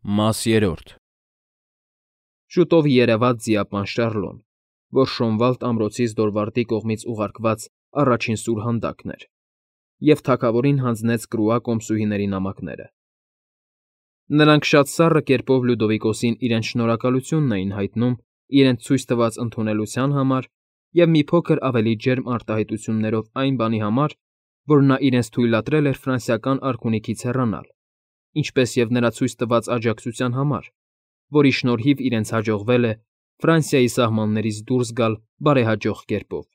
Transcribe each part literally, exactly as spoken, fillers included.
Մաս երրորդ Շուտով երևաց ձիապան Շառլոն, որ Շոնվալդ ամրոցից Դորվարդի կողմից ուղարկված առաջին սուրհանդակն էր, և թագավորին հանձնեց Կրուա կոմսուհիների նամակները. նրանք շատ սառը կերպով Լյուդովիկոսին իրենց շնորհակալությունն էին հայտնում իրենց ցույց տված ընդունելության համար և մի փոքր ավելի ջերմ արտահայտություններով այն բանի համար, որ նա իրենց թույլատրել էր ֆրանսիական արքունիքից հեռանալ, ինչպես և նրա ցույց տված աջակցության համար, որի շնորհիվ իրենց հաջողվել է Ֆրանսիայի սահմաններից դուրս գալ բարեհաջող կերպով։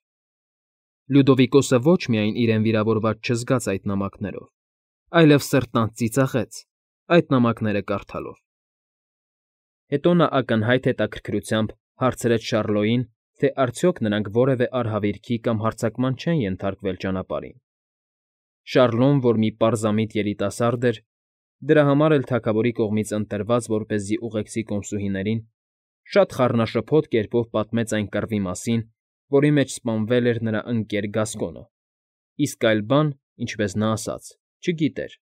Լյուդովիկոսը ոչ միայն իրեն վիրավորված չզգաց այդ նամակներով, այլև սրտանց ծիծաղեց այդ նամակները կարդալով։ Հետո նա ակնհայտ հետաքրքրությամբ հարցրեց Շառլոյին, թե արդյոք նրանք որևէ արհավիրքի կամ հարձակման չեն ենթարկվել ճանապարհին։ Շառլոն, որ մի պարզամիտ երիտասարդ էր, դրա համար էլ թագավորի կողմից ընտրված որպեսզի ուղեկցի կոմսուհիներին, շատ խառնաշփոթ կերպով պատմեց այն կռվի մասին, որի մեջ սպանվել էր նրա ընկեր Գասկոնը, իսկ այլ բան, ինչպես նա ասաց, չգիտեր։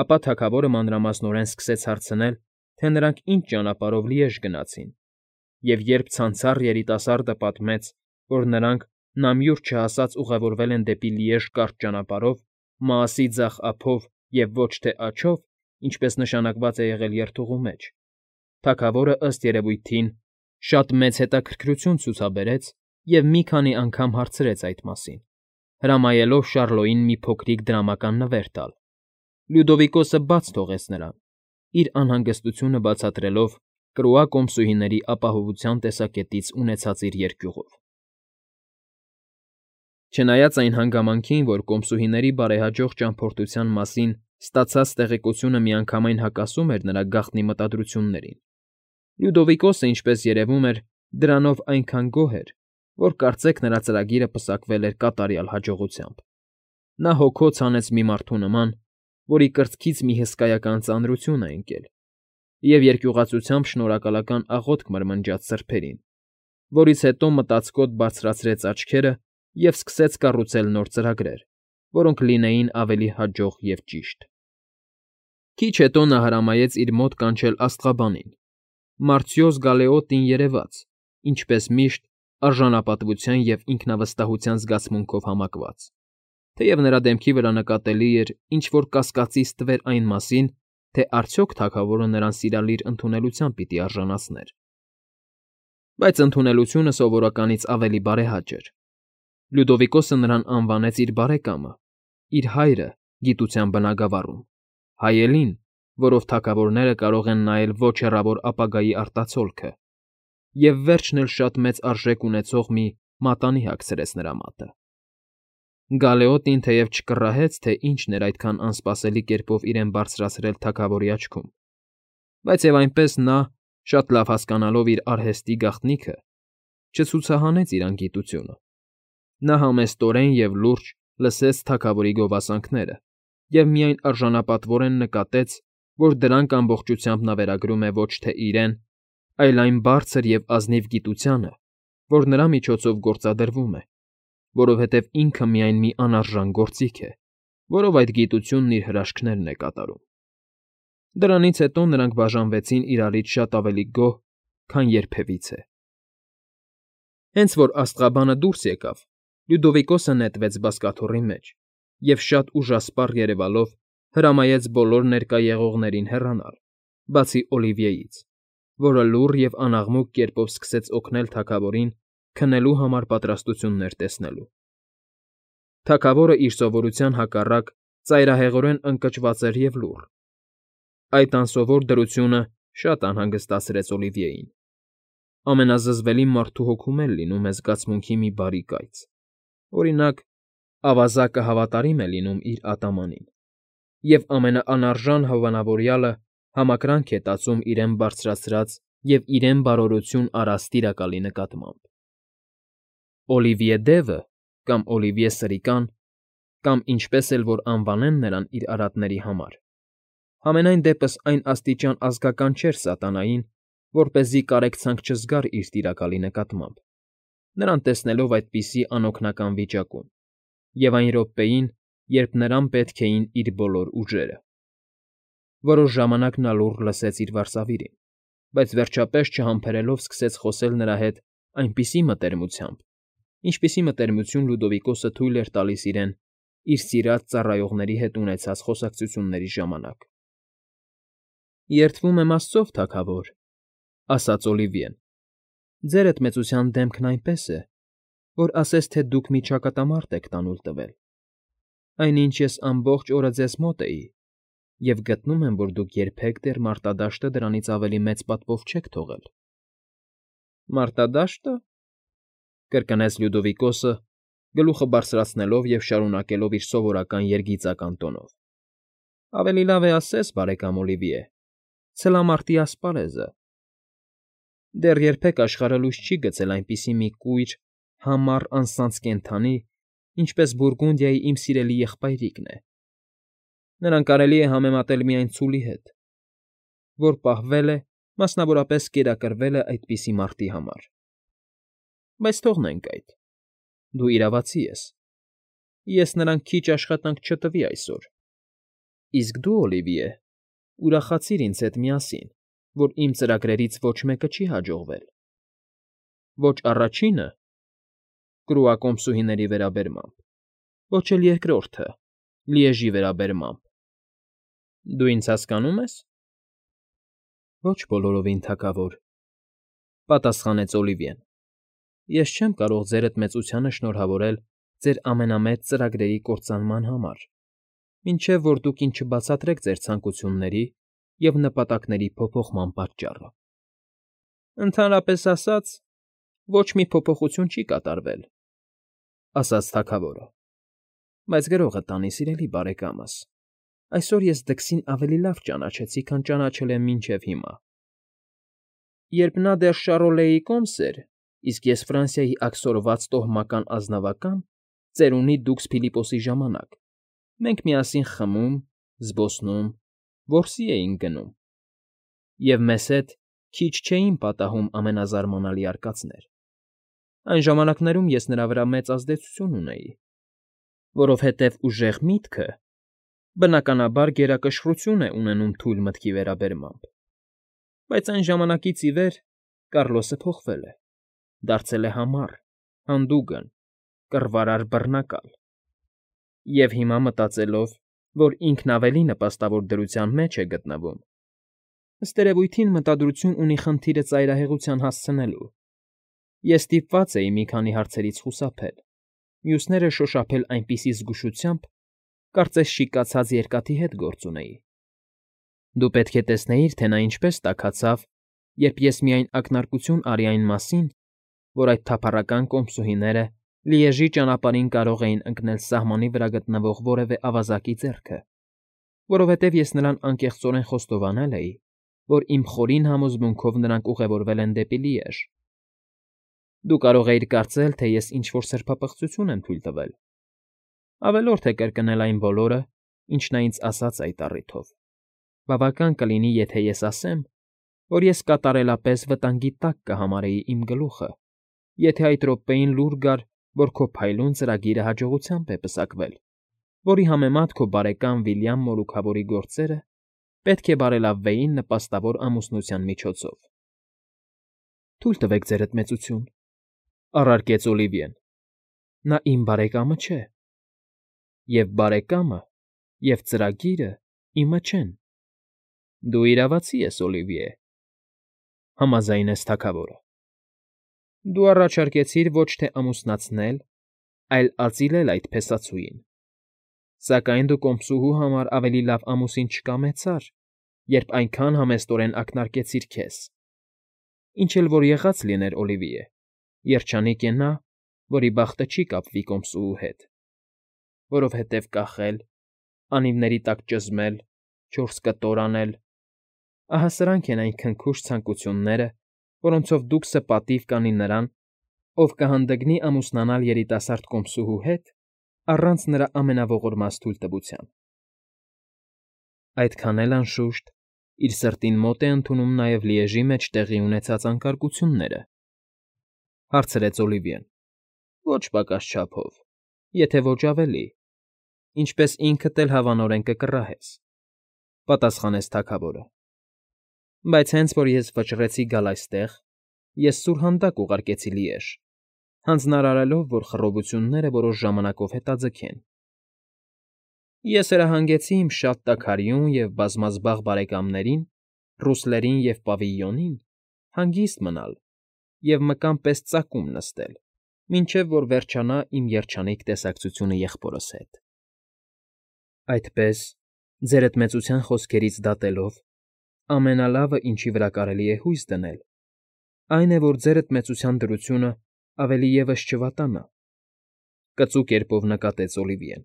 Ապա թագավորը մանրամասնորեն սկսեց հարցնել, թե նրանք ինչ ճանապարհով Լիեժ գնացին, և երբ ցանցառ երիտասարդը պատմեց, որ նրանք նամյուր չհասած ուղևորվել են դեպի Լիեժ կարճ ճանապարհով, Մաասի ձախ ափով և ոչ թե աջով, ինչպես նշանակված է եղել երթուղու մեջ, թագավորը, ըստ երևույթին, շատ մեծ հետաքրքրություն ցուցաբերեց և մի քանի անգամ հարցրեց այդ մասին, հրամայելով Շառլոյին մի փոքրիկ դրամական նվեր տալ։ Լյուդովիկոսը բաց թողեց նրան, իր անհանգստությունը բացատրելով Կրուա կոմսուհիների ապահովության տեսակետից ունեցած իր երկյուղով։ Չնայած այն հանգամանքին, որ կոմսուհիների բարեհաջող ճամփորդության մասին ստացած տեղեկությունը միանգամայն հակասում էր նրա գաղտնի մտադրություններին, Լյուդովիկոսը, ինչպես երևում էր, դրանով այնքան գոհ էր, որ կարծեք նրա ծրագիրը պսակվել էր կատարյալ հաջողությամբ։ Նա հոգոց հանեց մի մարդու նման, որի կրծքից մի հսկայական ծանրություն է ընկել, և երկյուղածությամբ շնորհակալական աղոթք մրմնջաց սրբերին, որից հետո մտածկոտ բարձրացրեց աչքերը և սկսեց կառուցել նոր ծրագրեր, որոնք լինեին ավելի հաջող և ճիշտ։ Քիչ հետո նա հրամայեց իր մոտ կանչել աստղաբանին, Մարտիոս Գալեոտին երեված, ինչպես միշտ, արժանապատվության և ինքնավստահության զգացմունքով համակված, թեև նրա դեմքի վրա նկատելի էր ինչ֊որ կասկածի ստվեր այն մասին, թե արդյոք թագավորը նրան սիրալիր ընդունելության պիտի արժանացներ։ Բայց ընդունելությունը սովորականից ավելի բարեհաճ էր։ Լյուդովիկոսը նրան անվանեց իր բարեկամը, իր հայրը գիտության բնագավառում, հայելին, որով թագավորները կարող են նայել ոչ հեռավոր ապագայի արտացոլքը, և վերջն էլ շատ մեծ արժեք ունեցող մի մատանի հագցրեց նրա մատը։ Գալեոտին թեև չկռահեց, թե ինչն էր այդքան անսպասելի կերպով իրեն բարձրացրել թագավորի աչքում, բայց և այնպես նա, շատ լավ հասկանալով իր արհեստի գաղտնիքը, չցուցահանեց իր անգիտությունը։ Նա համեստորեն և լուրջ լսեց թագավորի գովասանքները և միայն արժանապատվորեն նկատեց, որ դրանք ամբողջությամբ նա վերագրում է ոչ թե իրեն, այլ այն բարձր և ազնիվ գիտությանը, որ նրա միջոցով գործադրվում է, որովհետև ինքը միայն մի անարժան գործիք է, որով այդ գիտությունն իր հրաշքներն է կատարում։ Դրանից հետո նրանք բաժանվեցին իրարից շատ ավելի գոհ, քան երբևիցե։ Հենց որ աստղաբանը դուրս եկավ, Լյուդովիկոսը նետվեց բազկաթոռի մեջ և շատ ուժասպառ երևալով հրամայեց բոլոր ներկա եղողներին հեռանալ, բացի Օլիվիեից, որը լուռ և անաղմուկ կերպով սկսեց օգնել թագավորին քնելու համար պատրաստություններ տեսնելու։ Թագավորը իր սովորության հակառակ ծայրահեղորեն ընկճված էր և լուռ։ Այդ անսովոր դրությունը շատ անհանգստացրեց Օլիվիեին։ Ամենազզվելի մարդու հոգում էլ լինում է զգացմունքի մի բարի կայծ, օրինակ, ավազակը հավատարիմ է լինում իր ատամանին, և ամենաանարժան հովանավորյալը համակրանք է տածում իրեն բարձրացրած և իրեն բարօրություն արած Տիրակալի նկատմամբ։ Օլիվիե դևը կամ Օլիվիե Սրիկան, կամ ինչպես էլ որ անվանեն նրան իր արատների համար, համենայն դեպս այն աստիճան ազգական չէր սատանային, որպեսզի կարեկցանք չզգար իր Տիրակալի նկատմամբ, նրան տեսնելով այդպիսի անօգնական վիճակում, և այն րոպեին, երբ նրան պետք էին իր բոլոր ուժերը։ Որոշ ժամանակ նա լուռ լսեց իր վարսավիրին, բայց վերջապես չհամբերելով սկսեց խոսել նրա հետ այնպիսի մտերմությամբ, ինչպիսի մտերմություն Լյուդովիկոսը թույլ էր տալիս իրեն իր սիրած ծառայողների հետ ունեցած խոսակցությունների ժամանակ։ ֊ Երդվում եմ աստծով, թագավոր,֊ ասաց Օլիվիեն,֊ ձերդ մեծության դեմքն այնպես է, որ ասես թե դուք մի ճակատամարտ եք տանուլ տվել, այնինչ ես ամբողջ օրը ձեզ մոտ էի և գտնում եմ, որ դուք երբեք դեռ մարտադաշտը դրանից ավելի մեծ պատվով չեք թողել։ ֊ Մարտադաշտը,֊ կրկնեց Լյուդովիկոսը, գլուխը բարձրացնելով և շարունակելով իր սովորական երգիծական տոնով,֊ ավելի լավ է ասես, բարեկամ Օլիվիե, ցլամարտի ասպարեզը… Դեռ երբեք աշխարհը լույս չի գցել այնպիսի մի կույր, համառ անսանձ կենդանի, ինչպես Բուրգունդիայի իմ սիրելի եղբայրիկն է… Նրան կարելի է համեմատել միայն ցուլի հետ, որ պահվել է, մասնավորապես, կերակրվել է այդպիսի մարտի համար… Բայց թողնենք այդ… Դու իրավացի ես, ես նրան քիչ աշխատանք չտվի այսօր… Իսկ դու, Օլիվիե, ուրախացիր ինձ հետ միասին, որ իմ ծրագրերից ոչ մեկը չի հաջողվել… Ոչ առաջինը՝ կրուակոմսուհիների վերաբերմամբ, ոչ էլ երկրորդը՝ Լիեժի վերաբերմամբ… Դու ինձ հասկանո՞ւմ ես։ ֊ Ոչ բոլորովին, թագավոր,֊ պատասխանեց Օլիվիեն,֊ ես չեմ կարող ձերդ մեծությանը շնորհավորել ձեր ամենամեծ ծրագրերի կործանման համար, մինչև որ դուք ինձ չբացատրեք ձեր ցանկությունների և նպատակների փոփոխման պատճառը։ ֊ Ընդհանրապես ասած, ոչ մի փոփոխություն չի կատարվել,֊ ասաց թագավորը,֊ բայց գրողը տանի, սիրելի բարեկամս, այսօր ես դքսին ավելի լավ ճանաչեցի, քան ճանաչել եմ մինչև հիմա… Երբ նա դեռ Շառոլեի կոմս էր, իսկ ես Ֆրանսիայի աքսորված տոհմական ազնավական, ծերունի դուքս Փիլիպոսի ժամանակ, մենք միասին խմում, զբոսնում, որսի էինք գնում, և մեզ հետ քիչ չէին պատահում ամենազարմանալի արկածներ… Այն ժամանակներում ես նրա վրա մեծ ազդեցություն ունեի, որովհետև ուժեղ միտքը, բնականաբար, գերակշռություն է ունենում թույլ մտքի վերաբերմամբ… Բայց այն ժամանակից ի վեր Կառլոսը փոխվել է, դարձել է համառ, հանդուգն, կռվարար բռնակալ… Եվ հիմա, մտածելով, որ ինքն ավելի նպաստավոր դրության մեջ է գտնվում, ըստ երևույթին մտադրություն ունի խնդիրը ծայրահեղության հասցնելու, ես ստիպված էի մի քանի հարցերից խուսափել, մյուսները շոշափել այնպիսի զգուշությամբ, կարծես շիկացած երկաթի հետ գործ ունեի… Դու պետք է տեսնեիր, թե նա ինչպես տաքացավ, երբ ես միայն ակնարկություն արի այն մասին, որ այդ թափառական կոմսուհիները Լիեժի ճանապարհին կարող էին ընկնել սահմանի վրա գտնվող որևէ ավազակի ձեռքը, որովհետև ես նրան անկեղծորեն խոստովանել էի, որ իմ խորին համոզմունքով նրանք ուղևորվել են դեպի Լիեժ… Դու կարող էիր կարծել, թե ես ինչ֊որ սրբապղծություն եմ թույլ տվել, ավելորդ է կրկնել այն բոլորը, ինչ նա ինձ ասաց այդ առիթով… Բավական կլինի, եթե ես ասեմ, որ ես կատարելապես վտանգի տակ կհամարեի իմ գլուխը, եթե այդ րոպեին լուր գար, որ քո փայլուն ծրագիրը հաջողությամբ է պսակվել, որի համեմատ քո բարեկամ Վիլյամ Մորուքավորի գործերը պետք է բարելավվեին նպաստավոր ամուսնության միջոցով։ ֊ Թույլ տվեք, ձերդ մեծություն,֊ առարկեց Օլիվիեն,֊ նա իմ բարեկամը չէ, և բարեկամը և ծրագիրը իմը չեն… Դու իրավացի ես, Օլիվիե,֊ համաձայնեց թագավորը։ Դու առաջարկեցիր ոչ թե ամուսնացնել, այլ ածիլել այդ փեսացուին, սակայն դու կոմսուհու համար ավելի լավ ամուսին չկամեցար, երբ այնքան համեստորեն ակնարկեցիր քեզ… Ինչ էլ որ եղած լիներ, Օլիվիե, երջանիկ է նա, որի բախտը չի կապվի կոմսուհու հետ, որովհետև կախել, անիվների տակ ճզմել, չորս կտոր անել… Ահա սրանք են այն քնքուշ ցանկությունները, որոնցով դուքսը պատիվ կանի նրան, ով կհանդգնի ամուսնանալ երիտասարդ կոմսուհու հետ առանց նրա ամենաողորմած թույլտվության… Այդքան էլ, անշուշտ, իր սրտին մոտ է ընդունում նաև Լիեժի մեջ տեղի ունեցած անկարգությունները,֊ հարցրեց Օլիվիեն,֊ Ոչ պակաս չափով, եթե ոչ ավելի, ինչպես ինքդ էլ հավանորեն կկռահես… պատասխանեց թագավորը։ Բայց հենց որ ես վճռեցի գալ այստեղ, ես սուրհանդակ ուղարկեցի Լիեժ, հանձնարարելով, որ խռովությունները որոշ ժամանակով հետաձգեն։ Ես հրահանգեցի իմ շատ տաքարյուն և բազմազբաղ բարեկամներին, ռուսլերին և Պավիլյոնին, հանգիստ մնալ և մկան պես ծակում նստել, մինչև որ վերջանա իմ երջանիկ տեսակցությունը եղբորս հետ։ Այդպես, ձերդ մեծության խոսքերից դատելով, ամենալավը, ինչի վրա կարելի է հույս դնել, այն է, որ ձերդ մեծության դրությունը ավելի ևս չվատանա,֊ կծու կերպով նկատեց Օլիվիեն։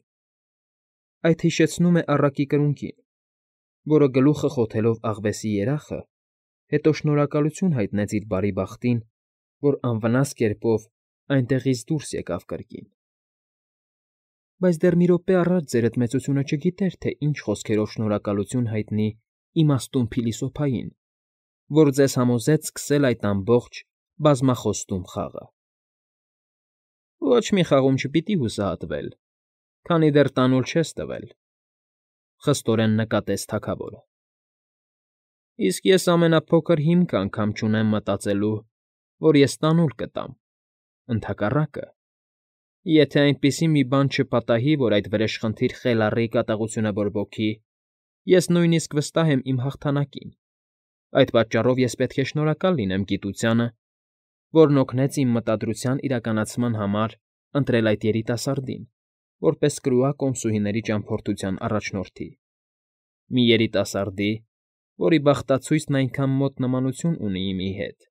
Այդ հիշեցնում է առակի կրունկին, որը գլուխը խոթելով աղվեսի երախը, հետո շնորհակալություն հայտնեց իր բարի բախտին, որ անվնաս կերպով այնտեղից դուրս եկավ կրկին։ Բայց դեռ մի րոպե առաջ ձերդ մեծությունը չգիտեր, թե ինչ խոսքերով շնորհակալություն հայտնի իմաստուն փիլիսոփային, որ ձեզ համոզեց սկսել այդ ամբողջ բազմախոստում խաղը։ Ոչ մի խաղում չպիտի հուսահատվել, քանի դեռ տանուլ չես տվել,֊ խստորեն նկատեց թագավորը։ Իսկ ես ամենափոքր հիմք անգամ չունեմ մտածելու, որ ես տանուլ կտամ, ընդհակառակը, եթե այնպիսի մի բան չպատահի, որ այդ վրեժխնդիր խելառի կատաղությունը բորբոքի, ես նույնիսկ վստահ եմ իմ հաղթանակին, այդ պատճառով ես պետք է շնորհակալ լինեմ գիտությանը, որն օգնեց իմ մտադրության իրականացման համար ընտրել այդ երիտասարդին, որպես կրուա կոմսուհիների ճամփորդության առաջնորդի, մի երիտասարդի, որի բախտացույցն այնքան մոտ նմանություն ունի իմի հետ,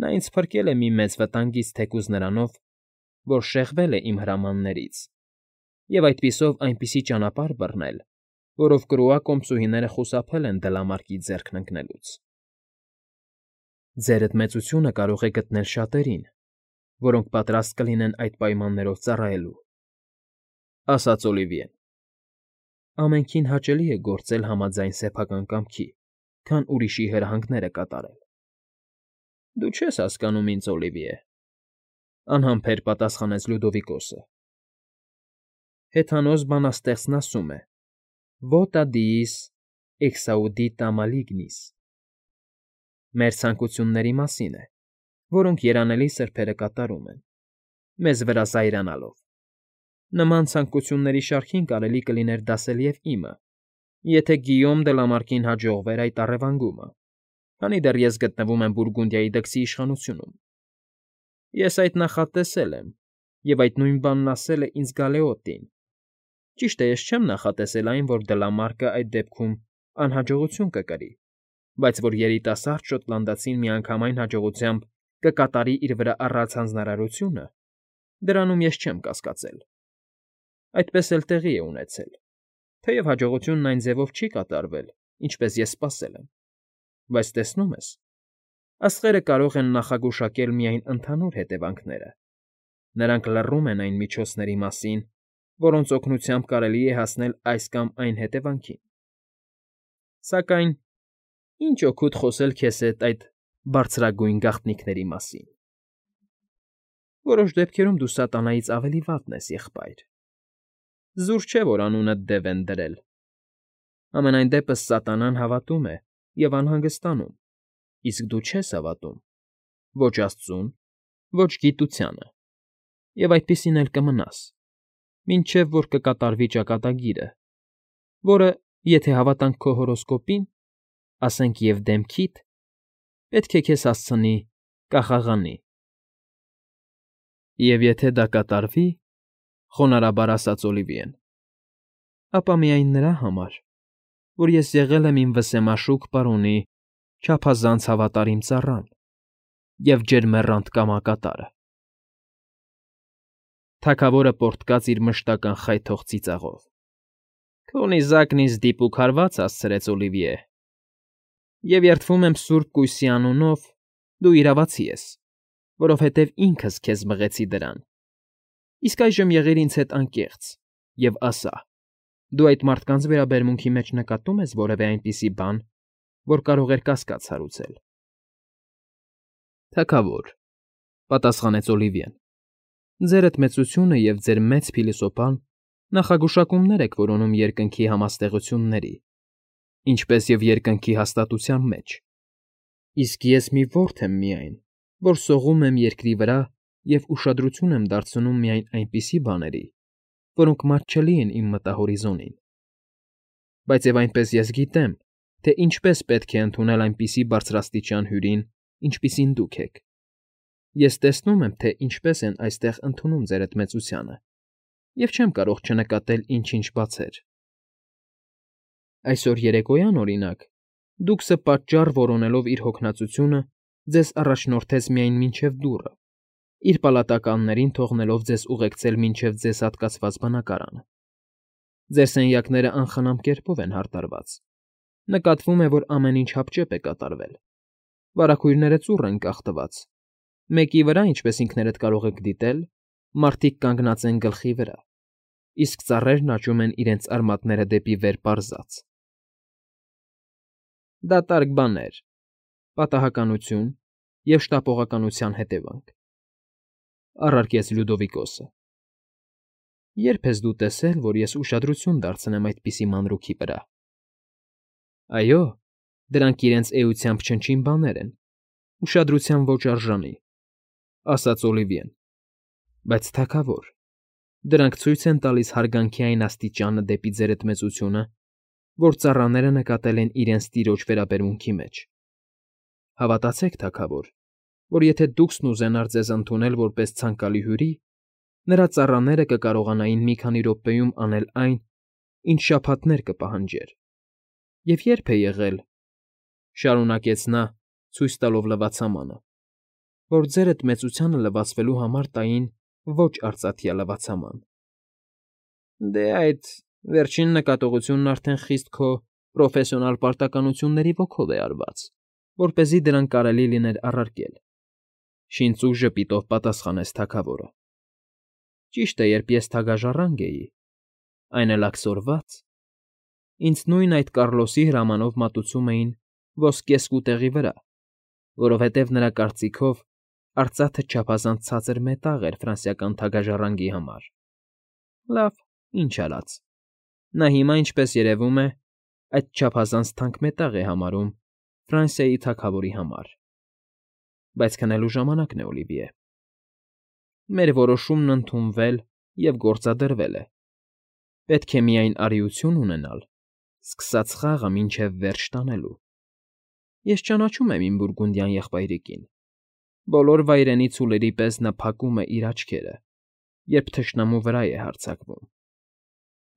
նա ինձ փրկել է մի մեծ վտանգից թեկուզ նրանով, որ շեղվել է իմ հրամաններից, և այդպիսով այնպիսի ճանապարհ բռնել, որով կրուա կոմսուհիները խուսափել են դլամարկի ձեռքն ընկնելուց։ Ձերդ մեծությունը կարող է գտնել շատերին, որոնք պատրաստ կլինեն այդ պայմաններով ծառայելու,֊ ասաց Օլիվիեն։ Ամենքին հաճելի է գործել համաձայն սեփական կամքի, քան ուրիշի հրահանգները կատարել։ Դու չես հասկանում ինձ, Օլիվիե,֊ անհամբեր պատասխանեց Լյուդովիկոսը։ Հեթանոս բանաստեղծն ասում է. «Vota diis exaudita malignis», մեր ցանկությունների մասին է, որոնք երանելի սրբերը կատարում են, մեզ վրա զայրանալով։ Նման ցանկությունների շարքին կարելի կլիներ դասել և իմը, եթե Գիյոմ Դլամարկին հաջողվեր այդ առևանգումը, քանի դեռ ես գտնվում եմ Բուրգունդիայի դքսի իշխանությունում։ Ես այդ նախատեսել եմ, և այդ նույն բանն ասել է ինձ Գալեոտին։ Ճիշտ է, ես չեմ նախատեսել այն, որ Դլամարկը այդ դեպքում անհաջողություն կկրի, բայց որ երիտասարդ շոտլանդացին միանգամայն հաջողությամբ կկատարի իր վրա առած հանձնարարությունը, դրանում ես չեմ կասկածել։ Այդպես էլ տեղի է ունեցել, թեև հաջողությունն այն ձևով չի կատարվել, ինչպես ես սպասել եմ, բայց տեսնում ես, աստղերը կարող են նախագուշակել միայն ընդհանուր հետևանքները, նրանք լռում են այն միջոցների մասին, որոնց օգնությամբ կարելի է հասնել այս կամ այն հետևանքին։ Սակայն ինչ օգուտ խոսել քեզ հետ այդ բարձրագույն գաղտնիքների մասին։ Որոշ դեպքերում դու սատանայից ավելի վատն ես, եղբայր։ Զուր չէ, որ անունդ դև են դրել։ Համենայն դեպս սատանան հավատում է և անհանգստանում, իսկ դու չես հավատում ոչ աստծուն, ոչ գիտությանը, և այդպիսին էլ կմնաս, մինչև որ կկատարվի ճակատագիրը, որը, եթե հավատանք քո հորոսկոպին, ասենք և դեմքիդ, պետք է քեզ հասցնի կախաղանի։ Եվ եթե դա կատարվի,֊ խոնարհաբար ասաց Օլիվիեն,֊ ապա միայն նրա համար, որ ես եղել եմ իմ վսեմաշուք պարոնի չափազանց հավատարիմ ծառան և ջերմեռանդ կամակատարը։ Թագավորը պոռթկաց իր մշտական խայթող ծիծաղով։ Քո նիզակն ինձ դիպուկ հարված հասցրեց, Օլիվիե, և երդվում եմ սուրբ կույսի անունով, դու իրավացի ես, որովհետև ինքս քեզ մղեցի դրան։ Իսկ այժմ եղիր ինձ հետ անկեղծ և ասա, դու այդ մարդկանց վերաբերմունքի մեջ նկատո՞ւմ ես որևէ այնպիսի բան, որ կարող էր կասկած հարուցել։ Թագավոր,֊ պատասխանեց Օլիվիեն,֊ ձերդ մեծությունը և ձեր մեծ փիլիսոփան նախագուշակումներ եք որոնում երկնքի համաստեղությունների, ինչպես և երկնքի հաստատության մեջ։ Իսկ ես մի որբ եմ միայն, որ սողում եմ երկրի վրա և ուշադրություն եմ դարձնում միայն այնպիսի բաների, որոնք մատչելի են իմ մտահորիզոնին։ Բայց և այնպես ես գիտեմ, թե ինչպես պետք է ընդունել այնպիսի բարձրաստիճան հյուրին, ինչպիսին դուք եք. ես տեսնում եմ, թե ինչպես են այստեղ ընդունում ձեր էդ մեծությանը և չեմ կարող չնկատել ինչ֊ինչ բացեր։ Այսօր երեկոյան, օրինակ, Դուքսը պատճառ որոնելով իր հոգնածությունը, ձեզ առաջնորդեց միայն մինչև դուռը, իր պալատականներին թողնելով ձեզ ուղեկցել մինչև ձեզ հատկացված բնակարանը։ Ձեր սենյակները անխնամ կերպով են հարդարված, նկատվում է, որ ամեն ինչ հապճեպ է կատարվել, վարագույրները ծուռ են կախտված, մեկի վրա, ինչպես ինքներդ կարող եք դիտել, մարդիկ կանգնած են գլխի վրա, իսկ ծառերն աճում են իրենց արմատները դեպի վեր պարզած։ Դատարկ բաներ, պատահականություն և շտապողականության հետևանք, առարկեց Լյուդովիկոսը։ Ե՞րբ ես դու տեսել, որ ես ուշադրություն դարձնեմ այդպիսի մանրուքի վրա։ Այո, դրանք իրենց էությամբ չնչին բաներ են, ուշադրության ոչ արժանի, ասաց Օլիվիեն, բայց թագավոր, դրանք ցույց են տալիս հարգանքի այն աստիճանը դեպի ձեր էդ մեծությունը, որ ծառաները նկատել են իրենց տիրոջ վերաբերմունքի մեջ։ Հավատացեք, թագավոր, որ եթե Դուքսն ուզենար ձեզ ընդունել որպես ցանկալի հյուրի, նրա ծառաները կկարողանային մի քանի րոպեում անել այն, ինչ շաբաթներ կպահանջեր։ Եվ ե՞րբ է եղել, շարունակեց նա, ցույց տալով լվացամանը, որ ձեր էդ մեծությանը լվացվելու համար տային ոչ արծաթյա լվացաման։ Դե այդ վերջին նկատողությունն արդեն խիստ քո պրոֆեսիոնալ պարտականությունների ոգով է արված, որպեսզի դրանք կարելի լիներ առարկել,֊ շինծու ժպիտով պատասխանեց թագավորը։ Ճիշտ է, երբ ես թագաժառանգ էի, այն էլ աքսորված, ինձ նույն այդ Կառլոսի հրամանով մատուցում էին ոսկե սկուտեղի վրա, որովհետև նրա կարծիքով արծաթը չափազանց ցածր մետաղ էր ֆրանսիական թագաժառանգի համար։ Լավ, ինչ արած, նա հիմա, ինչպես երևում է, այդ չափազանց թանկ մետաղ է համարում Ֆրանսիայի թագավորի համար։ Բայց քնելու ժամանակն է, Օլիվիե։ Մեր որոշումն ընդունվել և գործադրվել է։ Պետք է միայն արիություն ունենալ սկսած խաղը մինչև վերջ տանելու։ Ես ճանաչում եմ իմ բուրգունդյան եղբայրիկին։ Բոլոր վայրենի ցուլերի պես նա փակում է իր աչքերը, երբ թշնամու վրա է հարձակվում։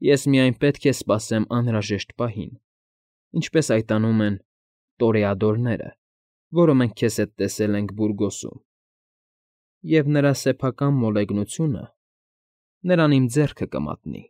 Ես միայն պետք է սպասեմ անհրաժեշտ պահին, ինչպես այդ անում են տորեադորները, որը մենք քեզ հետ տեսել ենք Բուրգոսում, և նրա սեփական մոլեգնությունը նրան իմ ձեռքը կմատնի։